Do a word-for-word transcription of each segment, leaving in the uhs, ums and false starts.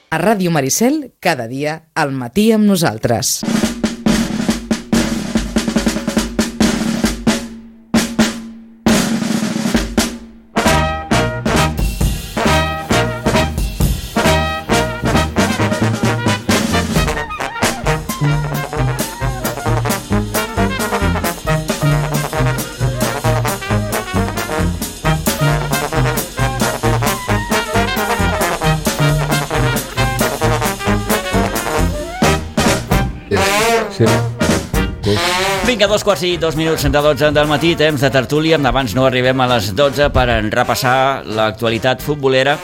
A Ràdio Maricel, cada dia, al matí amb nosaltres. Sí. Vinga, dos quarts i dos minuts de dotze del matí, temps de tertúlia. Abans no arribem a les dotze per repassar l'actualitat futbolera.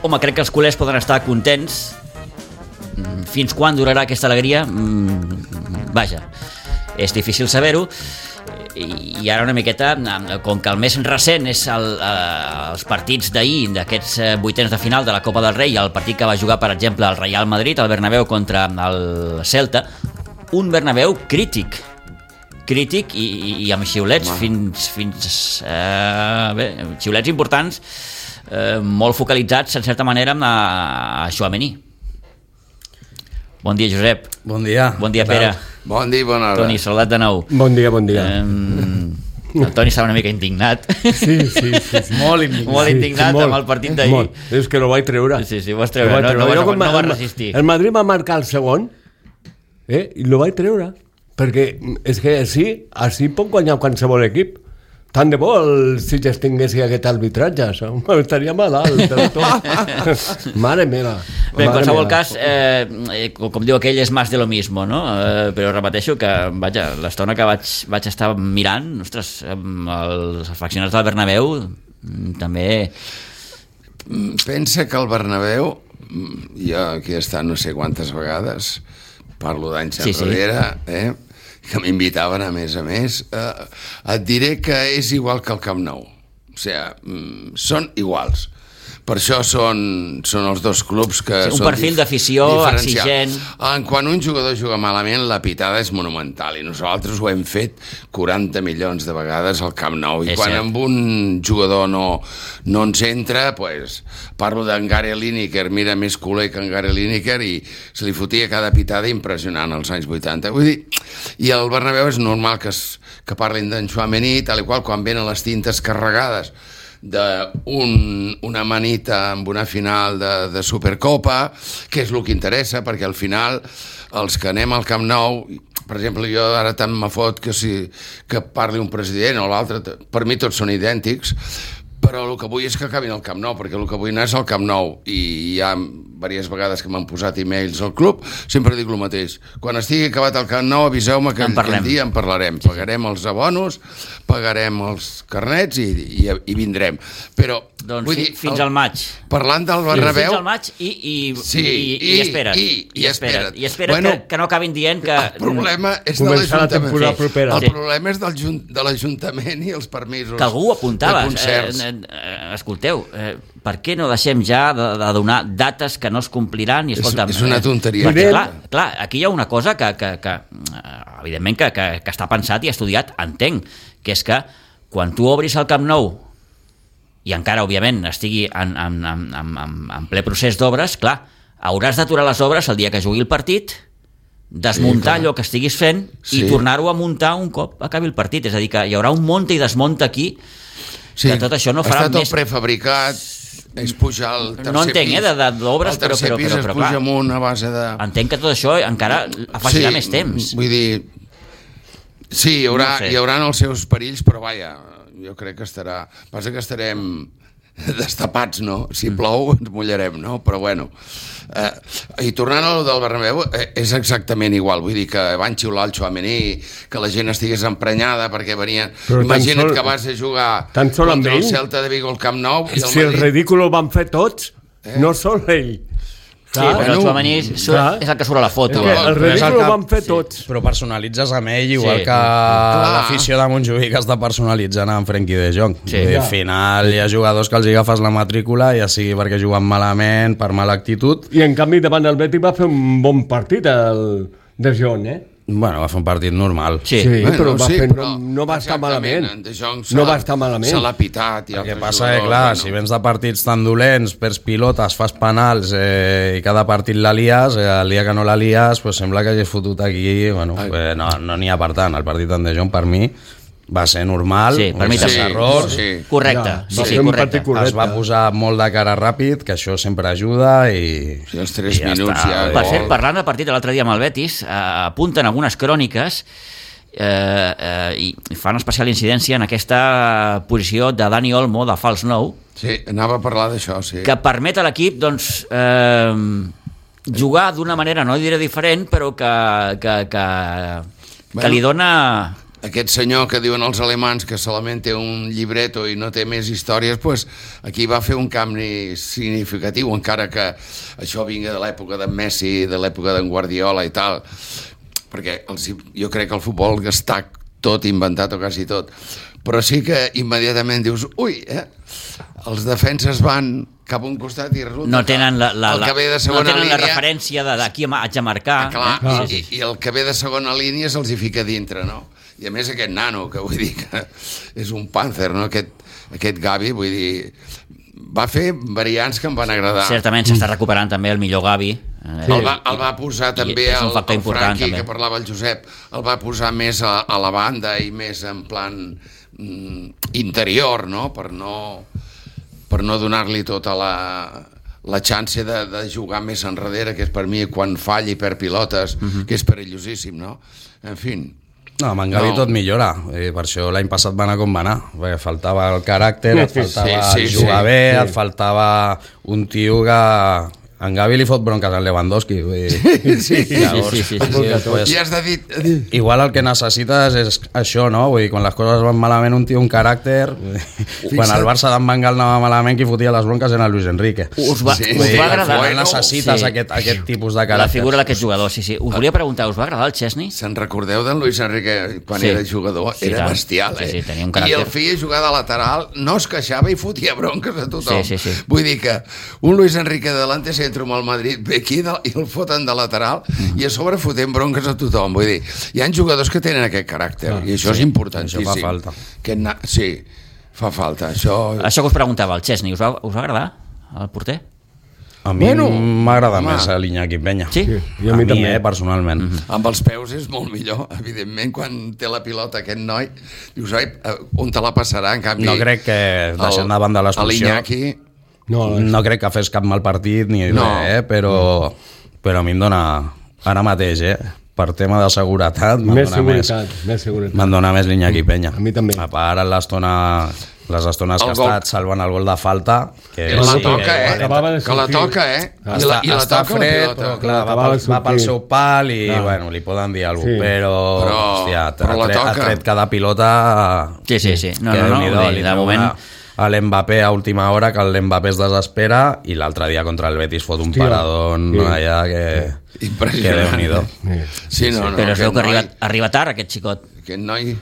Home, crec que els culers poden estar contents. Fins quan durarà aquesta alegria? Vaja, és difícil saber-ho. I ara una miqueta, com que el més recent és el, eh, els partits d'ahir, d'aquests vuitens de final de la Copa del Rei, el partit que va jugar, per exemple, el Real Madrid, el Bernabéu contra el Celta, un Bernabéu crític, crític i, i, i amb xiulets wow. fins, fins eh, bé, xiulets importants, eh, molt focalitzats, en certa manera, a, a Tchouaméni. Bon dia, Josep. Bon dia. Bon dia, Pere. Bon dia, bona hora. Toni, saludat de nou. Bon dia, bon dia. Eh, el Toni estava una mica indignat. Sí, sí, sí. sí. Molt indignat. Molt indignat sí, sí, amb el partit d'ahir. Molt. És que lo vaig treure. Sí, sí, ho vas treure. No, no, no, no vas resistir. El Madrid va marcar el segon, eh, i lo vaig treure. Perquè és que així, així pot guanyar qualsevol equip. Tant de bo el Sitges tingués aquest arbitratge, això. Estaria malalt del tot. Mare meva. Bé, en qualsevol cas, eh, com diu aquell, és más de lo mismo, no? Eh, però repeteixo que, vaja, l'estona que vaig, vaig estar mirant, ostres, els afeccionats del Bernabéu també... Pensa que el Bernabéu, jo aquí he estat no sé quantes vegades, parlo d'anys sí, enrere, sí. eh? que m'invitaven a més a més, eh, et diré que és igual que el Camp Nou. O sigui, són iguals. Per això són, són els dos clubs que sí, un són perfil d'afició exigent. Quan un jugador juga malament, la pitada és monumental, i nosaltres ho hem fet quaranta milions de vegades al Camp Nou, i és quan cert. Amb un jugador no, no ens entra, pues, parlo d'en Gary Lineker, mira, més culer que en Gary Lineker, i se li fotia cada pitada impressionant als anys vuitanta. Vull dir, i el Bernabéu és normal que, es, que parlin d'en Tchouaméni, tal i qual, quan venen les tintes carregades d'una un, manita amb una final de, de Supercopa, que és el que interessa, perquè al final els que anem al Camp Nou, per exemple, jo ara tant me fot que, si, que parli un president o l'altre, per mi tots són idèntics, però el que vull és que acabin al Camp Nou, perquè el que vull anar és al Camp Nou, i hi ha diverses vegades que m'han posat e-mails al club, sempre dic el mateix: quan estigui acabat el Camp Nou aviseu-me que aquell dia en parlarem, pagarem els abonos, pagarem els carnets i, i, i vindrem. Però doncs vull dir, fins al maig, parlant del Bernabéu, fins al maig i, i, sí, i, i, i espera't i, i, i espera't, i espera't bueno, que, que no acabin dient que el problema és de l'Ajuntament, sí. el sí. problema és del, de l'Ajuntament i els permisos que algú apuntava, eh, eh, escolteu, eh, per què no deixem ja de, de donar dates que no es compliran? I, escolta, és, és una tonteria. Perquè, clar, clar, aquí hi ha una cosa que, que, que evidentment que, que, que està pensat i estudiat, entenc, que és que quan tu obris el Camp Nou i encara, òbviament, estigui en, en, en, en, en ple procés d'obres, clar, hauràs d'aturar les obres el dia que jugui el partit, desmuntar sí, allò que estiguis fent sí. i tornar-ho a muntar un cop acabi el partit. És a dir, que hi haurà un monta i desmunta aquí, sí. que tot això no farà més... Està tot prefabricat, és pujar el tercer no entenc, pis. Eh, de, d'obres, el tercer però, però, pis però, es però, puja clar, amunt a base de... Entenc que tot això encara afegirà sí, més temps. Vull dir... Sí, hi haurà, no sé. hi haurà els seus perills, però vaja, jo crec que estarà... Passa que estarem destapats, no? Si plou ens mullarem, no? Però bueno... Eh, i tornant al del Bernabéu, eh, és exactament igual, vull dir que van xiular el Tchouaméni, que la gent estigués emprenyada perquè venien... Però imagina't sol, que vas a jugar contra el ell? Celta de Vigo al Camp Nou i el si Madrid... el ridícul ho van fer tots, eh? no sol ell. Sí, clar, però el Tchouaméni és el que surt a la foto. El, el ridícul ho van fer tots. Sí. Però personalitzes amb ell igual sí. que clar. l'afició de Montjuïc està personalitzant amb Frenkie de Jong. Sí. Al final hi ha jugadors que els agafes la matrícula, ja sigui perquè juguen malament, per mala actitud. I en canvi davant del Betis va fer un bon partit el de Jong, eh? Bueno, va fer un partit normal. Sí, sí bueno, però, va sí, fer, però no, no va estar malament. No va estar malament. Se l'ha pitat. El que passa és que, clar, bueno. si vens de partits tan dolents, perds pilotes, fas penals eh, i cada partit la lies, eh, el dia que no la lies, pues sembla que hagis fotut aquí... Bueno, eh, no n'hi no ha per tant. El partit d'en De Jong, per mi, va ser normal, sí, per mi sí, errors, sí. correcte, ja, sí, sí, correcte. Es va posar molt de cara ràpid, que això sempre ajuda i... Sí, els tres i minuts ja... ja per cert, parlant del partit de l'altre dia amb el Betis, eh, apunten algunes cròniques eh, eh, i fan especial incidència en aquesta posició de Dani Olmo, de fals nou. Sí, anava a parlar d'això, sí. Que permet a l'equip, doncs... Eh, jugar d'una manera, no diré diferent, però que, que, que, bueno, que li dona... Aquest senyor que diuen els alemans que solament té un llibreto i no té més històries, pues, aquí va fer un canvi significatiu, encara que això vinga de l'època de Messi, de l'època d'en Guardiola i tal, perquè els, jo crec que el futbol està tot inventat o quasi tot, però sí que immediatament dius, ui, eh? els defenses van cap a un costat i resulta no tenen la, la, el que ve de segona no tenen línia, la referència d'aquí haig de marcar. Ah, clar, eh? i, i, i el que ve de segona línia se'ls hi fica dintre, no? I a més aquest nano, que vull dir que és un pàncer, no? Aquest, aquest Gavi, vull dir, va fer variants que em van agradar. Certament s'està recuperant també el millor Gavi. Sí. El, va, el va posar I també el, el Franqui, també. Que parlava el Josep, el va posar més a, a la banda i més en plan mm, interior, no? Per no, per no donar-li tota la, la xance de, de jugar més enrere, que és per mi quan falla i perd pilotes, uh-huh. que és perillosíssim, no? En fi... No, amb en Gavi no. tot millora, i per això l'any passat va anar com va anar, perquè faltava el caràcter, et faltava sí, sí, jugar sí, bé, sí. et faltava un tio que... En Gavi li fot bronques a Lewandowski. Vull dir. Sí, sí, Llavors, sí, sí, sí, sí, sí. Pues, I has de dir... Igual el que necessites és això, no? Vull dir, quan les coses van malament, un tio un caràcter... Quan el Barça d'en Bengal anava malament, qui fotia les bronques era Luis Enrique. Us va, sí, us va agradar? Bueno, necessites sí. aquest, aquest tipus de caràcter. La figura d'aquest jugador, sí, sí. Us volia preguntar, us va agradar el Chesney? Se'n recordeu d'en Luis Enrique quan sí. era jugador? Sí, era tant. bestial, eh? Sí, sí, tenia un caràcter. I el feia jugar de lateral, no es queixava i fotia bronques a tothom. Sí, sí, sí. Vull dir que un Luis Enrique delante centro amb el Madrid ve aquí de, i el foten de lateral mm. i a sobre fotent bronques a tothom. Vull dir, hi ha jugadors que tenen aquest caràcter ah, i això sí, és importantíssim. Això fa falta. Que na... Sí, fa falta. Això... això que us preguntava, el Chesney, us va, us va agradar el porter? A mi bueno, m'agrada més l'Iñaki Peña. Sí? sí a, a mi, també. Eh, personalment. Mm-hmm. Amb els peus és molt millor, evidentment, quan té la pilota aquest noi, dius, oi, on te la passarà? En canvi, no crec que deixant de banda l'expulsió... L'Iñaki... No, no crec que fes cap mal partit ni no. res, eh? però, però a mi em dona ara mateix, eh? per tema de seguretat, més seguretat, més, més seguretat. Me'n dona més l'Iñaki Peña. A mi també. A part, l'estona, les estones el que gol. ha estat salvant el gol de falta, que, que la sí, toca, eh? Que, que la toca, eh? Ah, I la, i la està toca fred, la però clar, va, pel, va pel seu pal i no. bueno, li poden dir alguna cosa, sí. però, però, hòstia, però ha, tret, ha tret cada pilota... Sí, sí, sí. No, no, no, no, de moment... a l'Mbappé a última hora, que l'Mbappé es desespera, i l'altre dia contra el Betis fot un Hòstia, paradón sí. allà que... Impressionant. Que Déu-n'hi-do. Sí, no, no, però es veu que arriba, arriba tard, aquest xicot. Aquest noi...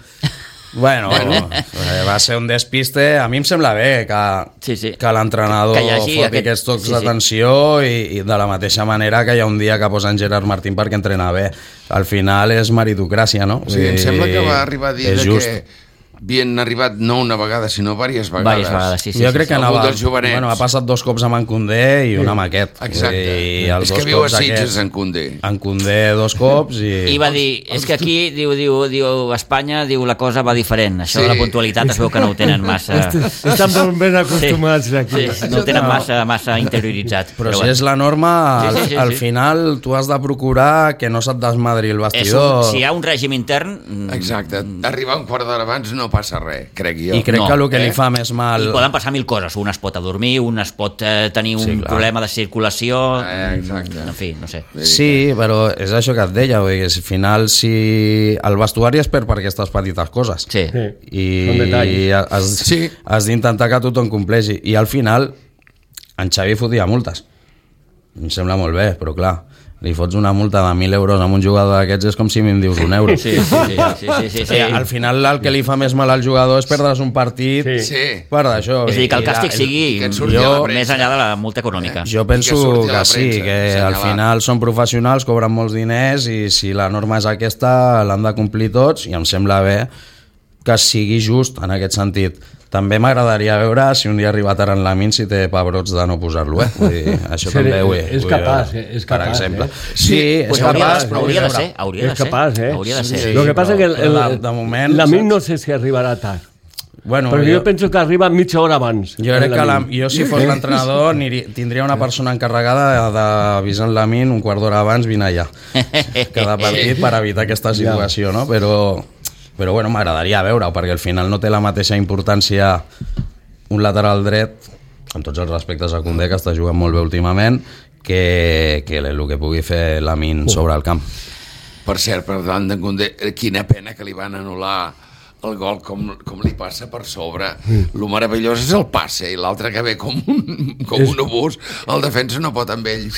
Bueno, bueno, va ser un despiste. A mi em sembla bé que, sí, sí. que l'entrenador foti aquest... aquests tocs sí, d'atenció sí. i, i de la mateixa manera que hi ha un dia que posen Gerard Martín perquè entrena bé. Al final és meritocràcia, no? Sí, em sembla que va arribar a dir que havien arribat no una vegada, sinó diverses vegades. Diverses vegades, sí, sí. Jo sí, crec sí. que anava, bueno, ha passat dos cops amb en Condé i un amb aquest. Exacte. I els és que viu a Sitges, en Condé. En Condé dos cops i... I va dir, és que aquí, diu, diu, diu Espanya, diu, la cosa va diferent. Això sí. de la puntualitat es veu que no ho tenen massa... Estan molt ben acostumats sí. aquí. Sí, no ho tenen massa, massa interioritzat. Però, però si bueno. és la norma, al, sí, sí, sí, al final tu has de procurar que no se't desmadri el vestidor. Un, si hi ha un règim intern... Exacte. Arribar un quart d'hora abans no passa res, crec jo. I crec no, que el que eh? li fa més mal... I poden passar mil coses. Un es pot adormir, un es pot eh, tenir un sí, problema de circulació... Eh, exacte. En fi, no sé. Sí, però és això que et deia, que al final si el vestuari es perd per aquestes petites coses. Sí. sí. I, i has, sí. has d'intentar que tothom compleixi. I al final, en Xavi fotia multes. em sembla molt bé, però clar, li fots una multa de mil euros a un jugador d'aquests és com si em dius un euro. Sí, sí, sí, sí, sí, sí, sí. Al final el que li fa més mal al jugador és perdre's un partit sí. per d'això. És a dir, que el càstig sigui jo, més enllà de la multa econòmica. Jo penso que, que sí, que al final són professionals, cobren molts diners i si la norma és aquesta l'han de complir tots i em sembla bé que sigui just en aquest sentit. També m'agradaria veure si un dia arriba Taran Lamin si té pebrots de no posar-lo, eh? Vull dir, això sí, també ho és capaç, és per capaç, exemple. Eh? Sí, és pues capaç, però hauria de ser, hauria de és capaç, eh? Hauria de ser. Sí, lo que passa és que el, el, de moment, Lamin no sé si arribarà tard. Bueno, perquè jo, jo penso que arriba mitja hora abans. Jo crec que la, jo si fos l'entrenador tindria una persona encarregada d'avisar en Lamin un quart d'hora abans, vine allà cada partit per evitar aquesta situació, no? Però, però bueno, m'agradaria veure-ho perquè al final no té la mateixa importància un lateral dret, amb tots els respectes a Koundé, que està jugant molt bé últimament, que, que el que pugui fer Lamin sobre el camp. Per cert, per davant de Koundé, quina pena que li van anul·lar el gol com, com li passa per sobre. Mm. Lo meravellós és el passe i l'altre que ve com un, com és... un obús, el defensa no pot amb ell.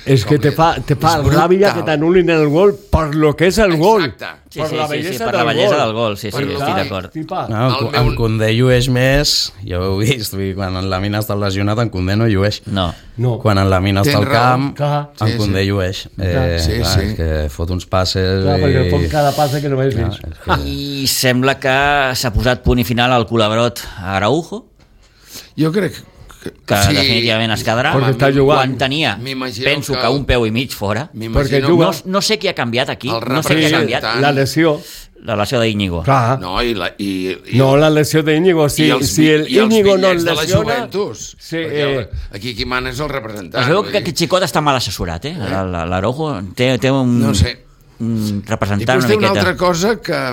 És que te fa, te fa ràbia que t'anul·lin el gol per lo que és el gol. Exacte. Sí, sí, sí, sí, sí, per la bellesa del gol, sí, sí, estic d'acord. No, en, en Koundé llueix més, ja ho he vist, quan en Lamin està lesionat, en Koundé no llueix. No. no. Quan en Lamin està al camp, sí, en Koundé sí. llueix. Eh, sí, clar, sí. És que fot uns passes... Clar, i... perquè fot cada passe que no veus vist. Que... I sembla que s'ha posat punt i final al culabrot a Araujo. Jo crec que que sí, definitivament es quedarà quan tenia, penso que... que un peu i mig fora, perquè no, no sé què ha canviat aquí, no sé què ha canviat, la lesió la lesió d'Íñigo. No, i la, i, i no, la lesió d'Íñigo, si, els, si el Íñigo no el lesiona... Sí, eh... Aquí qui mana és el representant. Es veu que aquest xicot està mal assessorat, eh? eh? L'Araujo té, té un, no sé. un representant una miqueta. I una altra cosa que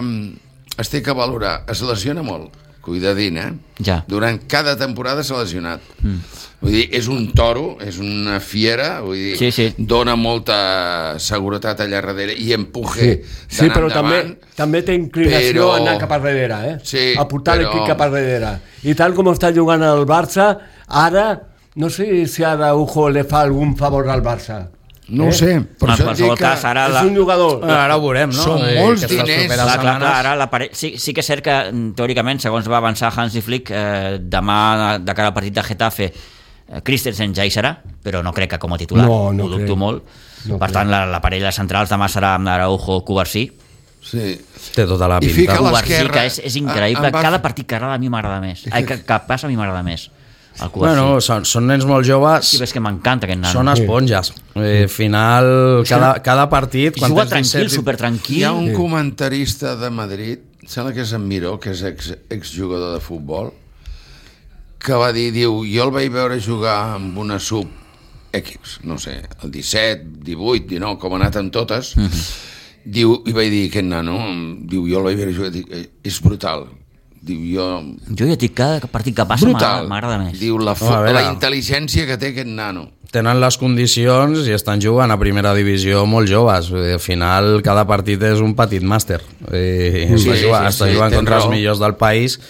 es té que valorar, es lesiona molt. Cuidadín, eh? Ja. Durant cada temporada s'ha lesionat. Mm. Vull dir, és un toro, és una fiera, vull dir, sí, sí. dona molta seguretat allà darrere i empuje sí. sí, però endavant. També, també té inclinació però... a anar cap a darrere, eh? Sí, a portar però... l'equip cap a darrere. I tal com està jugant el Barça, ara, no sé si ara Araujo le fa algun favor al Barça. No ho eh? sé, per en això dic que cas, ara és la... un jugador. Ara ho veurem, no? Són eh, molts diners. Clar, clar, clar, ara la pare... sí, sí que és cert que, teòricament, segons va avançar Hansi Flick, eh, demà, de cara al partit de Getafe, eh, Christensen ja hi serà, però no crec que com a titular, no, no ho dubto crec. molt. No per crec. tant, la, la parella centrals demà serà amb Araujo Cubarsí. Sí. Té tota la pinta. Cubarsí, que és, és increïble. Va... Cada partit que agrada a mi m'agrada més. Ai, que, que passa a mi m'agrada més. Bueno, són, són nens molt joves. Sí, és que m'encanta aquest nano. Són esponges. Al final, cada, cada partit... Juga tranquil, supertranquil. Hi ha un comentarista de Madrid, sembla que és en Miró, que és ex, exjugador de futbol, que va dir, diu, jo el vaig veure jugar amb una sub X, no sé, el disset, divuit, dinou, com ha anat amb totes, uh-huh. diu, i vaig dir, aquest nano, diu, jo el vaig veure jugar, dic, és brutal. Diu, jo... jo ja dic, cada partit que passa m'agrada més. Diu, la, fo... oh, la intel·ligència que té aquest nano. Tenen les condicions i estan jugant a primera divisió molt joves. Al final, cada partit és un petit màster. I sí, està jugant, sí, sí, està jugant contra raó. Els millors del país.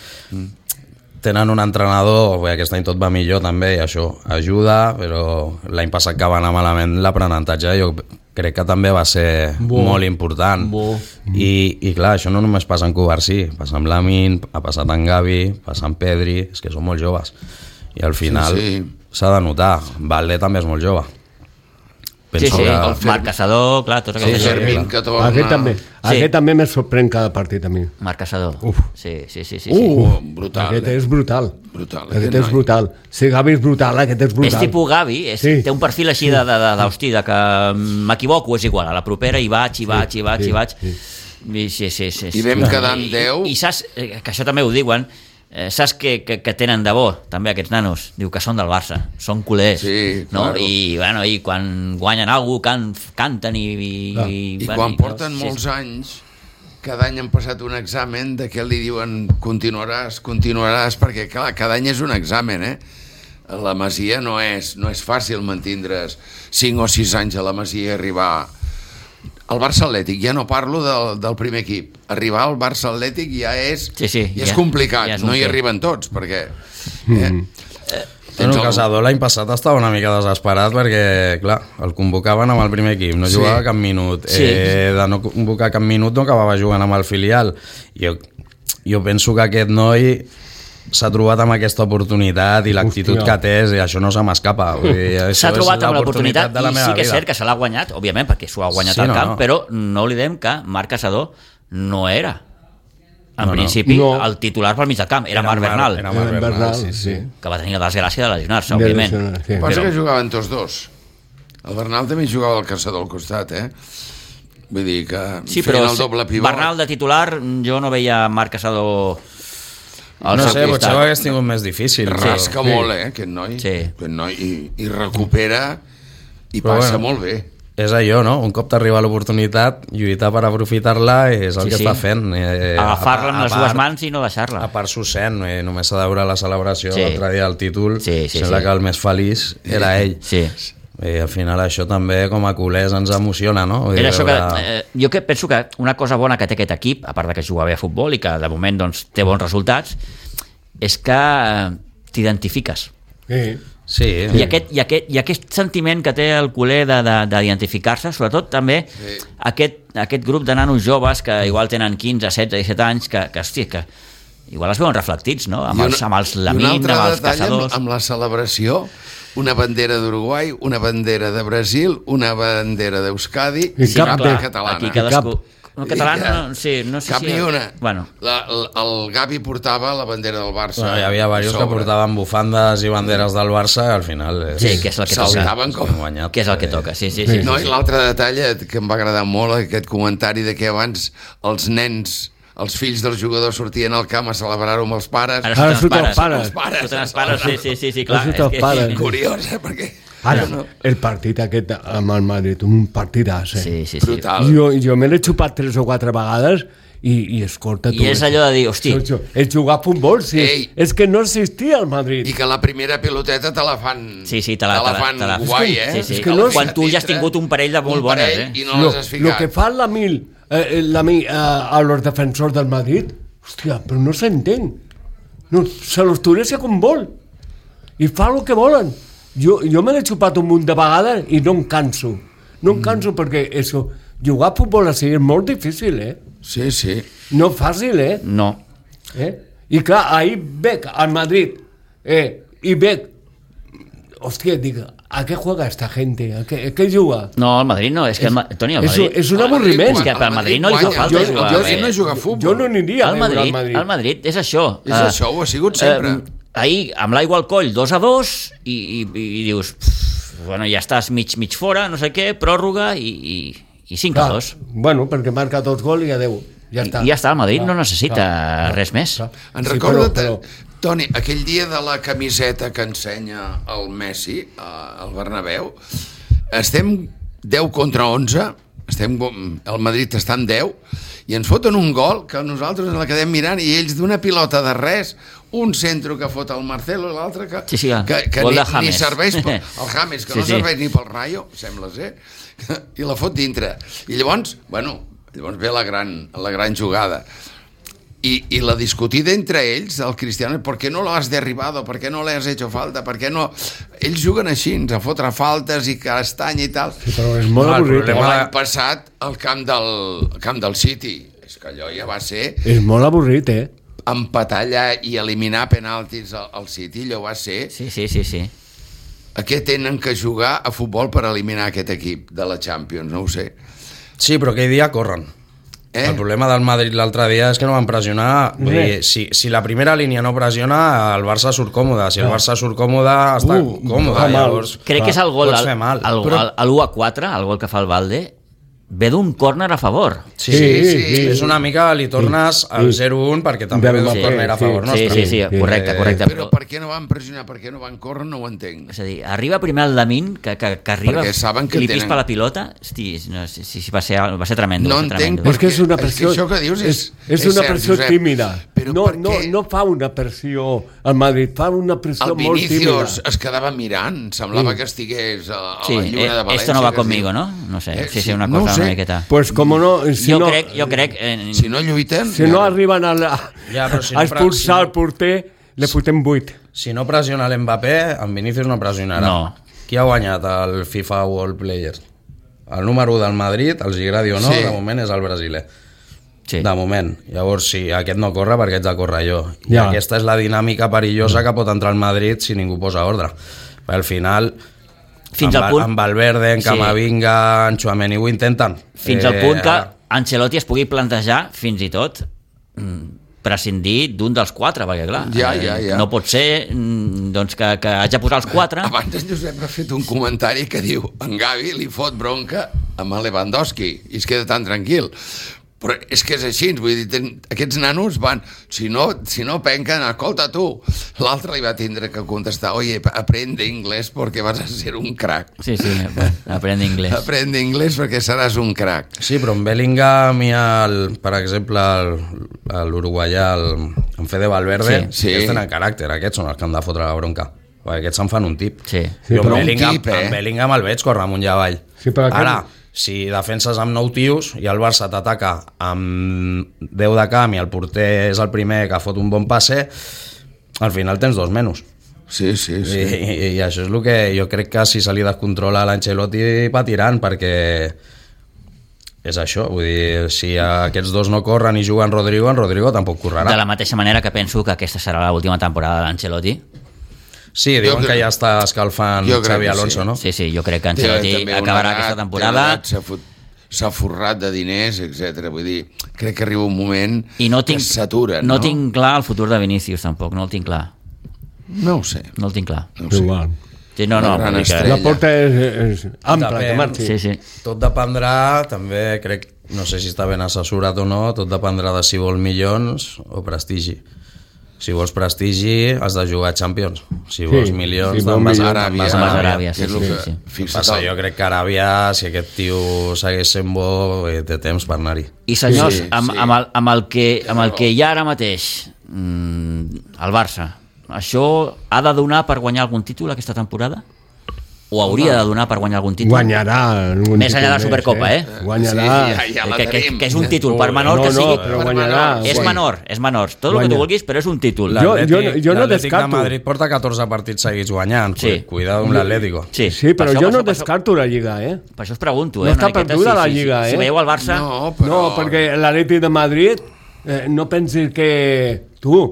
Tenen un entrenador, bé, aquest any tot va millor també, i això ajuda, però l'any passat que va anar malament l'aprenentatge, jo crec que també va ser bo, molt important. Bo. I, I clar, això no només passa en Cubarsí, passa amb Lamin, ha passat en Gavi, passa en Pedri, és que són molt joves. I al final s'ha sí, sí. de notar, Valde també és molt jove. Penso sí, sí, que... el Marc Caçador, clar, tot sí, aquest Fermín que torna... Aquest també, sí. aquest també me sorprèn cada partit a mi. Marc Caçador. Uf. Sí, sí, sí, sí, uh, sí. Brutal. Aquest eh? és brutal. Brutal. Aquest, aquest és noi. brutal. Si Gavi és brutal, aquest és brutal. És tipus Gavi, és, sí. té un perfil així sí. de, de, de, d'hosti, de que m'equivoco, és igual, a la propera hi vaig, hi vaig, hi vaig, hi vaig. Sí. I, sí, sí, sí, sí. I vam quedar en deu. I, I saps, que això també ho diuen, Eh, saps que, que, que tenen de bo també aquests nanos? Diu que són del Barça, són culers, sí, no? Claro. I, bueno, i quan guanyen alguna cosa can, canten i... I, ah. i, I bueno, quan i, porten no, molts sí. anys, cada any han passat un examen de què li diuen continuaràs, continuaràs, perquè clar, cada any és un examen, eh? La Masia no és, no és fàcil mantindre's cinc o sis anys a la Masia i arribar... El Barça Atlètic, ja no parlo del, del primer equip. Arribar al Barça Atlètic ja és, sí, sí, ja és ja, complicat, ja és no hi fet. arriben tots, perquè... Mm. Eh, Bueno, el Caçador l'any passat estava una mica desesperat perquè, clar, el convocaven amb el primer equip, no jugava sí. cap minut. Sí. Eh, de no convocar cap minut no acabava jugant amb el filial. Jo, jo penso que aquest noi s'ha trobat amb aquesta oportunitat i l'actitud que té, i això no se m'escapa. S'ha trobat amb l'oportunitat i sí que és cert que se l'ha guanyat, òbviament, perquè s'ho ha guanyat sí, al camp, no, no. però no oblidem que Marc Caçador no era en no, principi no. el titular pel mig del camp, era, era Marc Bernal, era Marc Bernal, Bernal sí, sí. que va tenir la desgràcia de lesionar-se, òbviament. Sí. Passa però... que jugaven tots dos. El Bernal també jugava al Caçador al costat, eh? Vull dir que sí, feien el doble pivot. Bernal de titular, jo no veia Marc Caçador... No sé, potser ho hagués tingut més difícil. Rasca sí. molt, eh, aquest noi. Sí. Aquest noi i, i recupera i però passa bueno. molt bé. És allò, no? Un cop t'arriba l'oportunitat, lluitar per aprofitar-la és el sí, que sí. està fent. Eh, Agafar-la amb les dues mans i no deixar-la. A part s'ho sent, eh, només s'ha de veure la celebració sí. l'altre dia del títol, sí, sí, sembla sí. que el més feliç era ell. Sí. I al final això també com a culers ens emociona, no? Era això que, eh, jo que penso que una cosa bona que té aquest equip, a part de que juga bé a futbol i que de moment doncs, té bons resultats, és que eh, t'identifiques. Sí. Sí. I, aquest, i, aquest, i aquest sentiment que té el culer d'identificar-se, sobretot també sí. aquest, aquest grup de nanos joves que igual tenen quinze, setze, disset anys, que, que, hosti, que igual es veuen reflectits, no? Amb els, amb els Lamin, amb els Caçadors. Amb, amb la celebració, una bandera d'Uruguai, una bandera de Brasil, una bandera d'Euskadi i sí, cap clar, catalana. Aquí cadascú... No, català, no, sí, no sé cap si... ni una. Bueno. La, el, el Gavi portava la bandera del Barça. Bueno, hi havia diversos que portaven bufandes i banderes del Barça i al final és... sí, que és el que toca. Com... Que és el que toca, sí, sí. sí, sí no, sí, i l'altre detall que em va agradar molt, aquest comentari de que abans els nens, els fills dels jugadors sortien al camp a celebrar-ho amb els pares. Ara surten els pares. Els pares. Surten els pares, sí, sí, sí, sí clar. És que... Curiós, eh, perquè... Ara, no. el partit aquest amb el Madrid, un partidàs, eh? Sí, sí, sí. Jo, jo me l'he xupat tres o quatre vegades i, i escolta... I és allò de dir, hosti... És jugar a futbol, sí. Ei, és que no existia el Madrid. I que la primera piloteta te la fan... Sí, sí, te la, te la, fan te la, guai, eh? Sí, sí. És que no quan tu ja has tingut un parell de molt bones, eh? I no les has ficat. Lo que fa la Mil, eh, la Mil eh, a los defensors del Madrid, hòstia, però no s'entén. No, se los turecia com vol. I fa el que volen. Jo, jo me l'he xupat un munt de vegades i no em canso. No em canso mm. perquè això, jugar a futbol així és molt difícil, eh? Sí, sí. No fàcil, eh? No. Eh? I clar, ahir veig al Madrid eh, i veig... Hòstia, dic, ¿a què juega esta gente? ¿A què, a què juga? No, el Madrid no, és que... El, Toni, el Madrid... És, és un avorriment. És que pel Madrid no li fa falta jugar. Jo, jo no jugar a futbol. Jo no aniria a veure al Madrid. El Madrid és això. És uh, això, ho ha sigut sempre. Uh, ahir, amb l'aigua al coll, dos a dos, i, i, i dius, pff, bueno, ja estàs mig, mig fora, no sé què, pròrroga, i, i, i cinc a dos. Bueno, perquè marca dos gols i adeu. Ja està. I ja està, el Madrid clar, no necessita clar, res més. Clar. En sí, recorda, però, però... Toni, aquell dia de la camiseta que ensenya el Messi al Bernabéu, estem deu contra onze, estem, el Madrid està en deu, i ens foten un gol que nosaltres ens la quedem mirant i ells d'una pilota de res, un centre que fot el Marcelo i l'altre que, sí, sí, que, que ni, ni serveix pel, el James, que sí, no serveix sí. ni pel Rayo, sembla ser, i la fot dintre. I llavors, bueno, llavors ve la gran, la gran jugada. I, i la discutida entre ells, el Cristiano, ¿por qué no lo has derribado? ¿Por qué no le has hecho falta? ¿Per què no? Ells juguen així, a fotre faltes i castanya i tal. Sí, però és molt avorrit. L'any passat al camp del, camp del City, és que allò ja va ser... És molt avorrit, eh? Empatar allà i eliminar penaltis al, al City, allò va ser... Sí, sí, sí, sí. A què tenen que jugar a futbol per eliminar aquest equip de la Champions? No ho sé. Sí, però aquell dia corren. Eh? El problema del Madrid l'altre dia és que no van pressionar. Vull dir, si, si la primera línia no pressiona, el Barça surt còmode. Si el Barça surt còmode, està uh, còmode. Llavors, crec que és el gol, el, el, el, Però... l'u a quatre, el gol que fa el Valde, ve d'un córner a favor. Sí, sí, sí, sí. És una mica, li tornes sí, al zero un perquè també ve d'un sí, córner a favor sí, nostre. Sí, sí, sí, correcte, correcte. Però per què no van pressionar, per què no van córrer, no ho entenc. És a dir, arriba primer el Lamin, que, que, que arriba, que que li pispa tenen... la pilota, hosti, no, sí, sí, va, ser, va ser tremendo. No va ser entenc, tremendo. És que és una pressió, és que això que dius és, és, és una pressió Josep, tímida. No, no, no fa una pressió al Madrid, fa una pressió molt tímida. El Vinicius es quedava mirant, semblava sí. que estigués a, a sí, la lluna eh, de València. Esto no va conmigo, ¿no? No sé, eh, sí, sí, una cosa no una miqueta. Pues como no... Si jo, no, crec, jo crec... Eh, si no lluiten... Si no arriben a, la, ja, si no, a expulsar si no, el porter, le fotem vuit. si no pressiona l'Mbappé, en Vinícius no pressionarà. No. Qui ha guanyat el FIFA World Players? El número u del Madrid, els agradi o no, sí. De moment és el brasiler. Sí. De moment. Llavors, si aquest no corre, perquè ets de córrer jo. I ja. Aquesta és la dinàmica perillosa que pot entrar al Madrid si ningú posa ordre. Perquè al final, fins amb, al punt... amb Valverde, en Camavinga, sí. En Tchouaméni ho intenten. Fins eh, al punt que Ancelotti es pugui plantejar, fins i tot, prescindir d'un dels quatre, perquè clar, ja, ja, ja. no pot ser doncs, que, que haig de posar els quatre. Abans en Josep ha fet un comentari que diu en Gavi li fot bronca amb el Lewandowski i es queda tan tranquil. Però és que és així, vull dir, ten, aquests nanos van, si no, si no penquen, escolta tu, l'altre li va tindre que contestar, oye, aprende inglés perquè vas a ser un crack. Sí, sí, aprende inglés. Aprende inglés perquè seràs un crack. Sí, però en Bellingham i el, per exemple, l'uruguaià, en Fede Valverde, sí, sí. Aquests tenen caràcter, aquests són els que han de fotre la bronca. Perquè aquests se'n fan un tip. Sí. Sí, jo en Bellingham, tip, eh? en Bellingham el veig córrer amunt i avall. Sí, ara, si defenses amb nou tios i el Barça t'ataca amb deu de camp i el porter és el primer que fot un bon passe, al final tens dos menys. Sí, sí, sí. I, i, i això és el que jo crec que si se li descontrola l'Ancelotti patiran, perquè és això, vull dir, si aquests dos no corren i juguen Rodrigo, en Rodrigo tampoc correrà. De la mateixa manera que penso que aquesta serà l'última temporada de l'Ancelotti. Sí, diuen que, que ja està escalfant Xavi Alonso, sí. no? Sí, sí, jo crec que Ancelotti acabarà edat, aquesta temporada. S'ha forrat de diners, etcètera. Vull dir, crec que arriba un moment I no tinc, que s'atura, no? No tinc clar el futur de Vinícius, tampoc, no el tinc clar. No ho sé. No el tinc clar. No ho sé. Sí, no, no, no que... La porta és, és ampla, Depèn, que marxi. Sí, sí. Tot dependrà, també crec, no sé si està ben assessorat o no, tot dependrà de si vol milions o prestigi. Si vols prestigi, has de jugar a Champions. Si vols sí, milions, si te'n vas a Aràbia. Vas a Aràbia, sí, sí, sí, sí. Passa, jo crec que Aràbia, si aquest tio segueix sent bo, té temps per anar-hi. I senyors, sí, amb, sí. Amb, el, amb, el que, amb el que hi ha ara mateix, mmm, el Barça, això ha de donar per guanyar algun títol aquesta temporada? O hauria de donar per guanyar algun títol? Guanyarà. Més enllà de la Supercopa, eh? eh? Guanyarà. Sí, ja, ja que, que, que és un títol, per menor no, que sigui. No, però guanyarà. És menor, és menor. Tot el que tu vulguis, però és un títol. Jo, jo, jo no descarto. de Madrid porta catorze partits seguits guanyant. Sí. Cuidado amb l'Atlético. Sí, sí, però jo no descarto la Lliga, eh? Per això us pregunto, eh? No està perduda la Lliga, eh? Si veieu el Barça... No, però... no perquè l'Atlètic de Madrid, eh, no pensis que tu...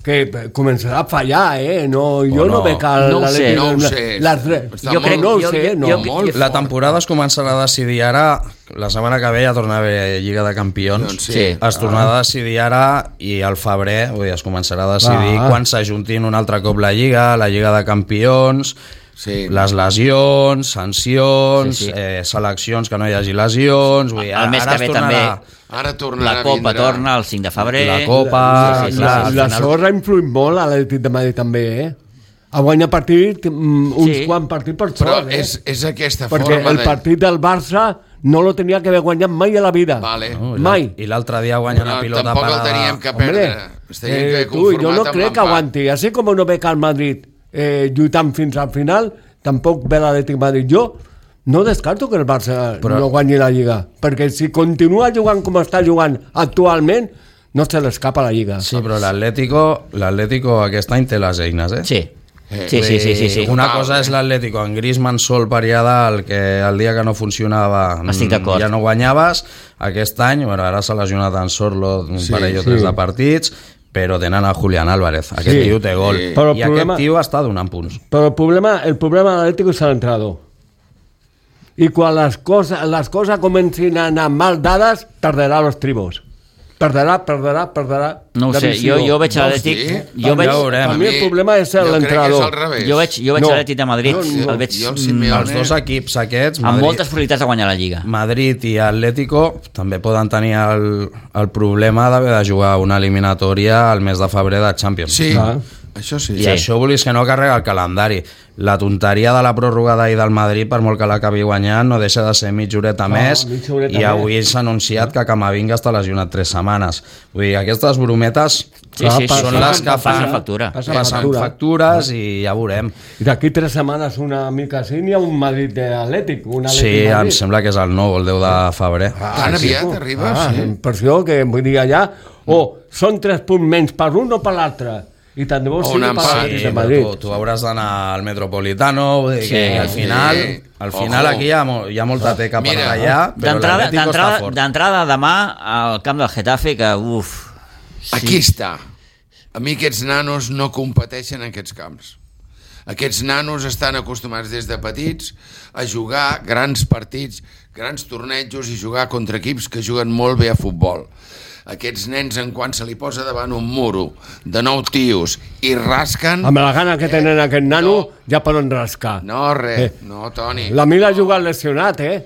que començarà a fallar, eh? No, jo no, no veig el... No ho sé, no ho sé. Les, jo crec, no ho sé, no. Jo, jo, la temporada es començarà a decidir ara, la setmana que ve ja torna a haver Lliga de Campions, doncs sí. Sí. Es tornarà a decidir ara i al febrer, vull dir, es començarà a decidir ah. quan s'ajuntin un altre cop la Lliga, la Lliga de Campions... Sí. Les lesions, sancions, sí, sí. Eh, seleccions que no hi hagi lesions... Vull dir, el mes que ve també ara la Copa torna el cinc de febrer. La Copa... La, sí, sí, la, sí, la, la sorra ha influït molt a l'Atlètic de Madrid també, eh? A guanyar partit, uns sí. quants partits per sort, però eh? és, és aquesta perquè forma el partit del Barça no lo tenia que haver guanyat mai a la vida. Vale. No, mai. I l'altre dia guanya la pilota tampoc parada. Tampoc el teníem que perdre. Hombre, eh, tu, jo no crec que aguanti. Així com no veig al Madrid eh, lluitant fins al final, tampoc ve l'Atlètic Madrid. Jo no descarto que el Barça però... no guanyi la Lliga, perquè si continua jugant com està jugant actualment, no se l'escapa la Lliga. Sí, però l'Atlético, l'Atlético aquest any té les eines, eh? Sí. Sí, sí, sí, sí, sí. Una cosa és l'Atlético en Griezmann sol per allà dalt, que el dia que no funcionava ja no guanyaves. Aquest any, bueno, ara s'ha lesionat en Sorlo un sí, parell o tres sí. de partits, però tenen a Julián Álvarez. Aquest sí. tio té gol. Sí. I problema, aquest tio està donant punts. Però el problema, el problema de l'Atlético és l'entrenador. I quan les coses, les coses comencin a anar mal dades, tardarà los tribos. Perderà, perderà, perderà. No ho sé, jo, jo veig l'Atlètic... Jo veig... A mi el problema és l'entrenador. Jo veig, jo veig no. l'Atlètic de Madrid, no, no. el veig... Jo, el els dos equips aquests... Madrid, amb moltes probabilitats de guanyar la Lliga. Madrid i Atlético també poden tenir el, el problema d'haver de jugar una eliminatòria al mes de febrer de Champions. Sí, ah. això sí. I sí. això volis que no carrega el calendari. La tonteria de la pròrroga d'ahir del Madrid, per molt que l'acabi guanyant, no deixa de ser mitja horeta ah, més, mitja horeta i avui s'ha anunciat que Camavinga està lesionat tres setmanes. Vull dir, aquestes brometes sí, sí, sí, són sí, les que fan, factura. passen factura. factures i ja veurem. I d'aquí tres setmanes una mica així n'hi ha un Madrid Atlètic. Un Atlètic sí, Madrid. Em sembla que és el nou, el deu de febrer. Ah, Tan aviat sí, arriba, ah, sí. Per això que vull dir allà, o oh, són tres punts menys per un o per l'altre. i tant de bo sigui sí, de Madrid. Tu, tu hauràs d'anar al Metropolitano, vull dir sí, que al final, sí. al final aquí hi ha, hi ha molta teca per allà, però l'Atlético està fort. D'entrada demà al camp del Getafe, que uf... Sí. Aquí està. A mi aquests nanos no competeixen en aquests camps. Aquests nanos estan acostumats des de petits a jugar grans partits, grans tornejos i jugar contra equips que juguen molt bé a futbol. Aquests nens, en quan se li posa davant un muro de nou tios i rasquen... Amb la gana que tenen eh, aquest nano, no, ja poden rascar. No, res, eh. no, Toni. La Mila ha jugat lesionat, eh?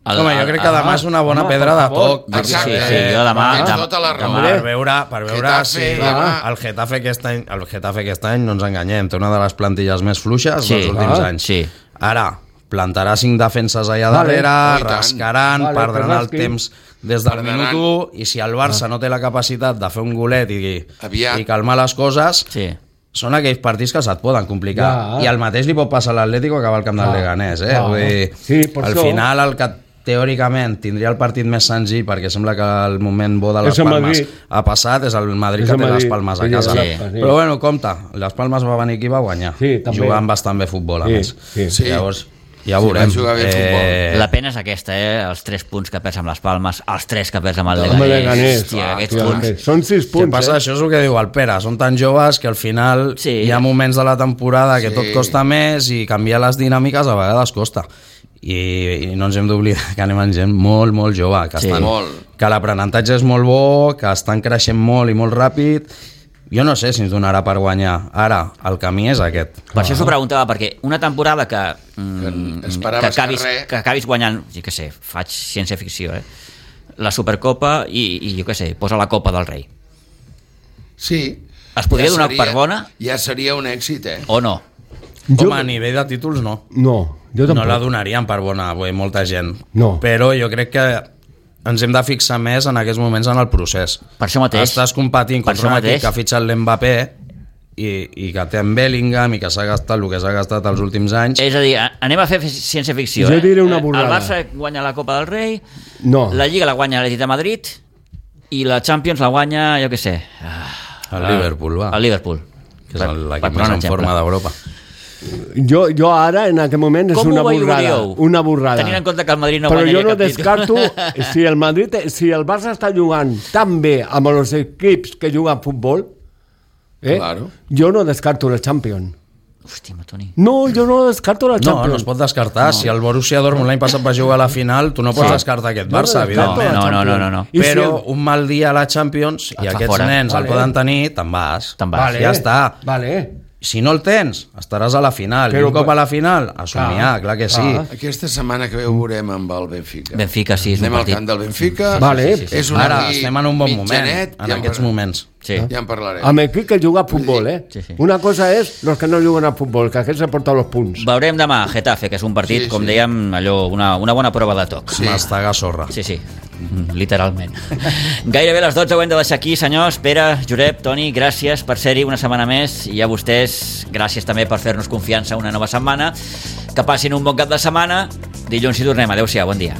El, Home, jo crec que demà és una bona home, pedra de toc. Exacte. Sí, sí, jo demà... Tota la raó. Per veure, per veure Getafe, si demà. el Getafe aquest any, el Getafe aquest any, no ens enganyem, té una de les plantilles més fluixes sí, dels últims ah, anys. Sí. Ara, plantarà cinc defenses allà vale, darrere, rascaran, vale, perdran el temps des del minut u, i si el Barça ah. no té la capacitat de fer un golet i, i calmar les coses, sí. són aquells partits que se't poden complicar. Ja. I el mateix li pot passar a l'Atlético que va al camp del Leganés. Eh? Ah. Vull dir, sí, al això... final, el que teòricament tindria el partit més senzill, perquè sembla que el moment bo de les Palmes ha passat, és el Madrid és que té les Palmes a casa. Sí. Sí. Però bueno, compte, les Palmes va venir aquí i va guanyar. Sí, jugant bastant bé futbol, a sí, més. Sí. Sí. Llavors, ja veurem. Sí, eh... La pena és aquesta, eh? Els tres punts que perds amb les Palmes, els tres que perds amb el Leganés. Leganés. Hòstia, aquests ah, punts. Són sis punts. Què passa? Eh? Això és el que diu el Pere. Són tan joves que al final sí. hi ha moments de la temporada que sí. tot costa més i canviar les dinàmiques a vegades costa. I, i no ens hem d'oblidar que anem amb gent molt, molt jove, que, sí. estan, molt. que l'aprenentatge és molt bo, que estan creixent molt i molt ràpid. Jo no sé si ens donarà per guanyar. Ara, el camí és aquest. Per això s'ho preguntava, perquè una temporada que, mm, que, que, acabis, que, que acabis guanyant, jo què sé, faig ciència-ficció, eh? la Supercopa i, i jo què sé, posa la Copa del Rei. Sí. Es podria ja donar seria, per bona? Ja seria un èxit, eh? O no? Jo... Home, a nivell de títols, no. No, jo tampoc. No la donarien per bona, bé, molta gent. No. Però jo crec que ens hem de fixar més en aquests moments en el procés. Per això mateix. Estàs competint contra un equip que ha fitxat l'Mbappé i, i que té en Bellingham i que s'ha gastat el que s'ha gastat els últims anys. És a dir, anem a fer ciència-ficció. Jo diré una borrada. El Barça guanya la Copa del Rei, no. la Lliga la guanya l'Atlètic de Madrid i la Champions la guanya, jo què sé... El Liverpool, va. El Liverpool. Que és l'equip més en forma d'Europa. Jo, jo ara, en aquest moment, és una borrada. Una borrada. Tenint en compte que el Madrid no Però guanyaria jo no cap descarto, si el Madrid, si el Barça està jugant tan bé amb els equips que juguen a futbol, eh, claro. jo no descarto la Champions. Hòstia, Toni. No, jo no descarto la Champions. No, no es pot descartar. No. Si el Borussia Dortmund l'any passat va jugar a la final, tu no pots sí. descartar aquest Barça, no, evidentment. No, no, no, no, no. Però si el... un mal dia a la Champions i aquests fora. nens vale. el poden tenir, te'n vas. Te'n vas. Vale. Ja està. Vale. Si no el tens, estaràs a la final. Però, I un cop a la final, a somiar, ah, clar que sí. Ah. Aquesta setmana que ve ho veurem amb el Benfica. Benfica, sí, és Anem un al camp del Benfica. Vale. Sí, sí, sí. És un Ara estem en un bon moment, mitjanet, en ja aquests moments. Sí. Ja en parlarem. Amb equip que juga a futbol, eh? Sí, sí. Una cosa és els que no juguen a futbol, que aquests han portat els punts. Veurem demà Getafe, que és un partit, sí, com sí. dèiem, allò, una, una bona prova de toc. Sí. Mastegar sorra. Sí, sí, literalment. Gairebé les dotze ho hem de deixar aquí, senyors. Pere, Josep, Toni, gràcies per ser-hi una setmana més, i a vostès, gràcies també per fer-nos confiança una nova setmana. Que passin un bon cap de setmana. Dilluns hi tornem. Adéu-siau, bon dia.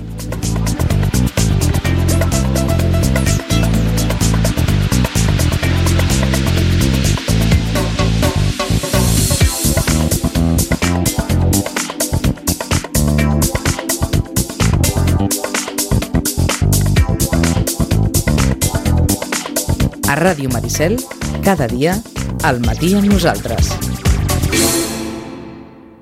A Ràdio Maricel, cada dia, al matí amb nosaltres.